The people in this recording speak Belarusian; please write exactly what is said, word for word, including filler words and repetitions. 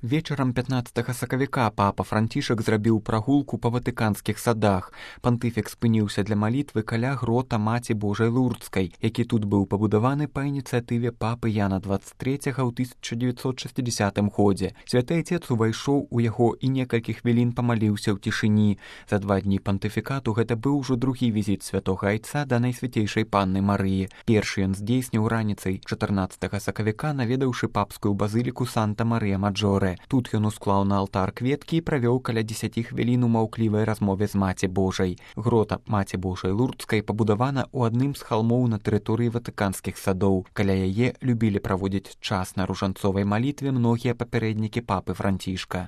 Вечарам пятнаццатага сакавіка папа Францішак зрабіў прагулку па ватыканскіх садах. Пантыфік спыніўся для малітвы каля грота Маці Божай Лурдскай, які тут быў пабудаваны па ініцыятыве папы Яна дваццаць трэцяга ў тысяча дзевяцьсот шэсцідзясятым годзе. Святы Айцец увайшоў у яго і некалькі хвілін памаліўся ў цішыні. За два дні пантыфікату гэта быў ужо другі візіт святога Айца да Найсвяцейшай Панны Марыі. Першы ён здзейсніў раніцай чатырнаццатага сакавіка, наведаўшы папскую базыліку Санта-Марыя-Маджоре. Тут ён усклаў на алтар кветкі і правёў каля дзесяці хвілін у маўклівай размове з Маці Божай. Грота Маці Божай Лурдскай пабудавана ў адным з халмоў на тэрыторыі ватыканскіх садоў. Каля яе любілі праводзіць час на ружанцовай малітве многія папярэднікі папы Францішка.